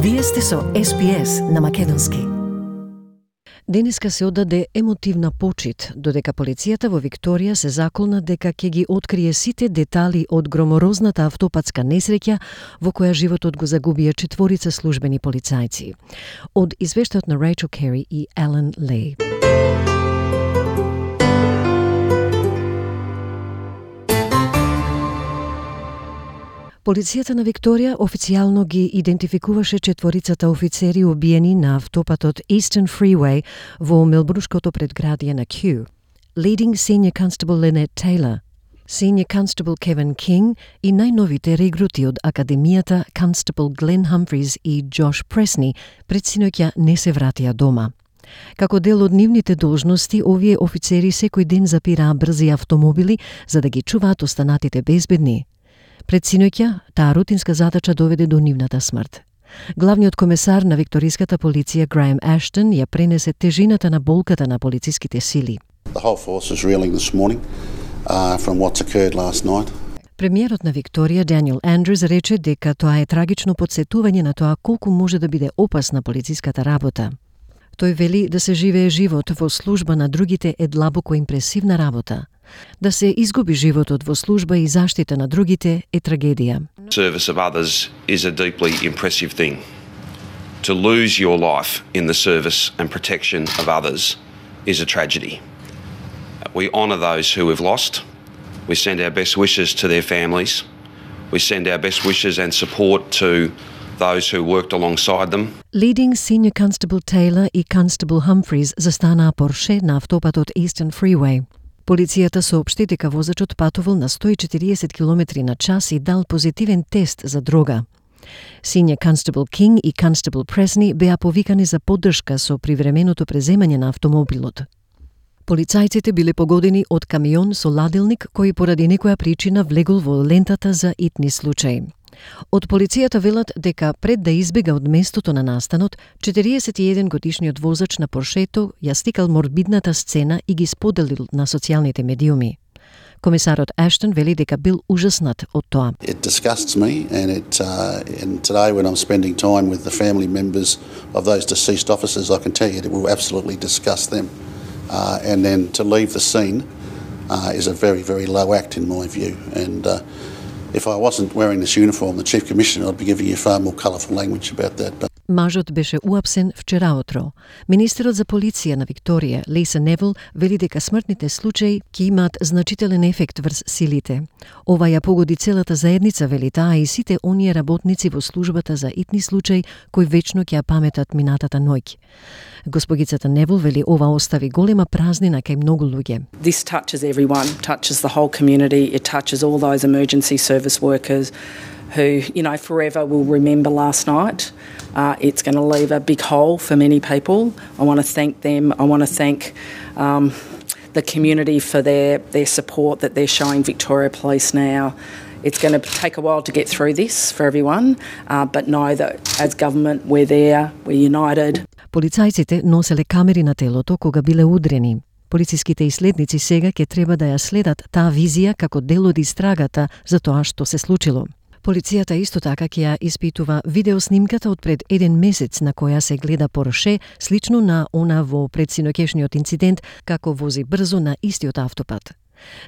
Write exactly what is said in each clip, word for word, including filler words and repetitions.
Вие сте со Ес Би Ес на македонски. Денеска се оддаде емотивна почит, додека полицијата во Викторија се заколна дека ќе ги открие сите детали од громорозната автопатска несреќа во која животот го загубија четворица службени полицајци. Од извештајот на Рейчел Кери и Алан Лей. Полицијата на Викторија официјално ги идентификуваше четворицата офицери убиени на автопатот Eastern Freeway во мелбурнското предградие на Kew. Leading Senior Constable Lynette Taylor, Senior Constable Kevin King и најновите регрути од Академијата Constable Glenn Humphreys и Josh Presney пред синоќа не се вратија дома. Како дел од нивните должности, овие офицери секој ден запираа брзи автомобили за да ги чуваат останатите безбедни. Пред синоќа, таа рутинска задача доведе до нивната смрт. Главниот комесар на викториската полиција Граем Аштон ја пренесе тежината на болката на полициските сили. The whole force is reeling this morning uh, from what's occurred last night. Премиерот на Викторија Даниел Андрюс рече дека тоа е трагично потсетување на тоа колку може да биде опасна полициската работа. Тој вели да се живее живот во служба на другите е длабоко импресивна работа. Да се изгуби животот во служба и заштита на другите е трагедија. Service of others is a deeply impressive thing. To lose your life in the service and protection of others is a tragedy. We honour those who have lost. We send our best wishes to their families. We send our best wishes and support to those who worked alongside them. Leading Senior Constable Taylor и Constable Humphreys застанаа Порше на автопатот Eastern Freeway. Полицијата соопшти дека возачот патувал на сто и четириесет километри на час и дал позитивен тест за дрога. Senior Constable King и Constable Presney беа повикани за поддршка со привременото преземање на автомобилот. Полицајците биле погодени од камион со ладилник кој поради некоја причина влегол во лентата за итни случаи. Од полицијата велат дека пред да избега од местото на настанот, четириесет и еден годишниот возач на Поршето ја стикал морбидната сцена и ги споделил на социјалните медиуми. Комисарот Аштон вели дека бил ужаснат од тоа. It disgusts me and it uh, and today when I'm spending time with the family members of those deceased officers, I can tell you it will absolutely disgust them. Uh, and then to leave the scene uh, is a very very low act in my view, and uh, if I wasn't wearing this uniform, the Chief Commissioner, I'd be giving you far more colourful language about that. But Мажот беше уапсен вчераутро. Министерот за полиција на Викторија, Лиса Невил, вели дека смртните случаи ќе имаат значителен ефект врз силите. Ова ја погоди целата заедница, вели таа, и сите оние работници во службата за итни случаи кои вечно ќе ја паметат минатата ноќ. Госпогицата Невил вели ова остави голема празнина кај многу луѓе. This touches everyone, touches the whole community, it touches all those emergency service workers who, you know, forever will remember last night. Uh, it's going to leave a big hole for many people. I want to thank them. I want to thank um, the community for their, their support that they're showing Victoria Police now. It's going to take a while to get through this for everyone, uh, but know that as government we're there, we're united. Полицајците носеле камери на телото кога биле удрени. Полициските иследници сега ќе треба да ја следат таа визија како дел од истрагата за тоа што се случило. Полицијата исто така ќе ја испитува видеоснимката од пред еден месец на која се гледа Порше, слично на она во предсиноќешниот инцидент, како вози брзо на истиот автопат.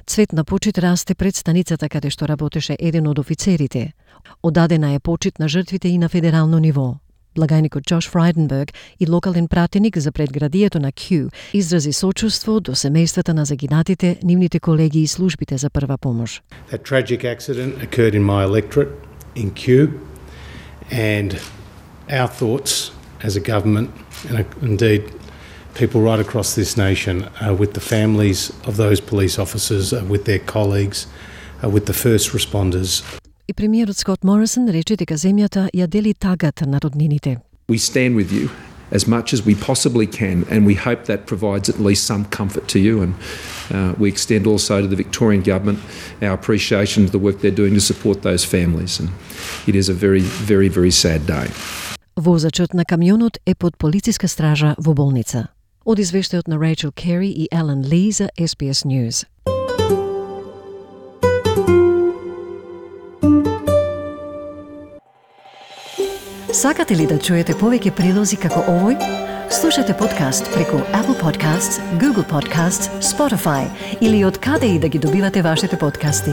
Цвет на почит расте пред станицата каде што работеше еден од офицерите. Одадена е почит на жртвите и на федерално ниво. Благајникот Джош Фрайденберг и локален пратеник за предградието на Kew изрази сочувство до семејствата на загинатите, нивните колеги и службите за прва помош. That tragic accident occurred in my electorate in Kew, and our thoughts as a government, and indeed people right across this nation, are with the families of those police officers, are with their colleagues, are with the first responders. И премиерот Скот Морисон рече дека земјата ја дели тагата на роднините. We stand with you as much as we possibly can, and we hope that provides at least some comfort to you, and uh, we extend also to the Victorian Government our appreciation of the work they're doing to support those families, and it is a very, very, very sad day. Возачот на камионот е под полициска стража во болница. Од извештајот на Рейчел Кери и Алан Ли за Ес Би Ес News. Сакате ли да чуете повеќе прилози како овој? Слушате подкаст преку Apple Podcasts, Google Podcasts, Spotify или од каде и да ги добивате вашите подкасти.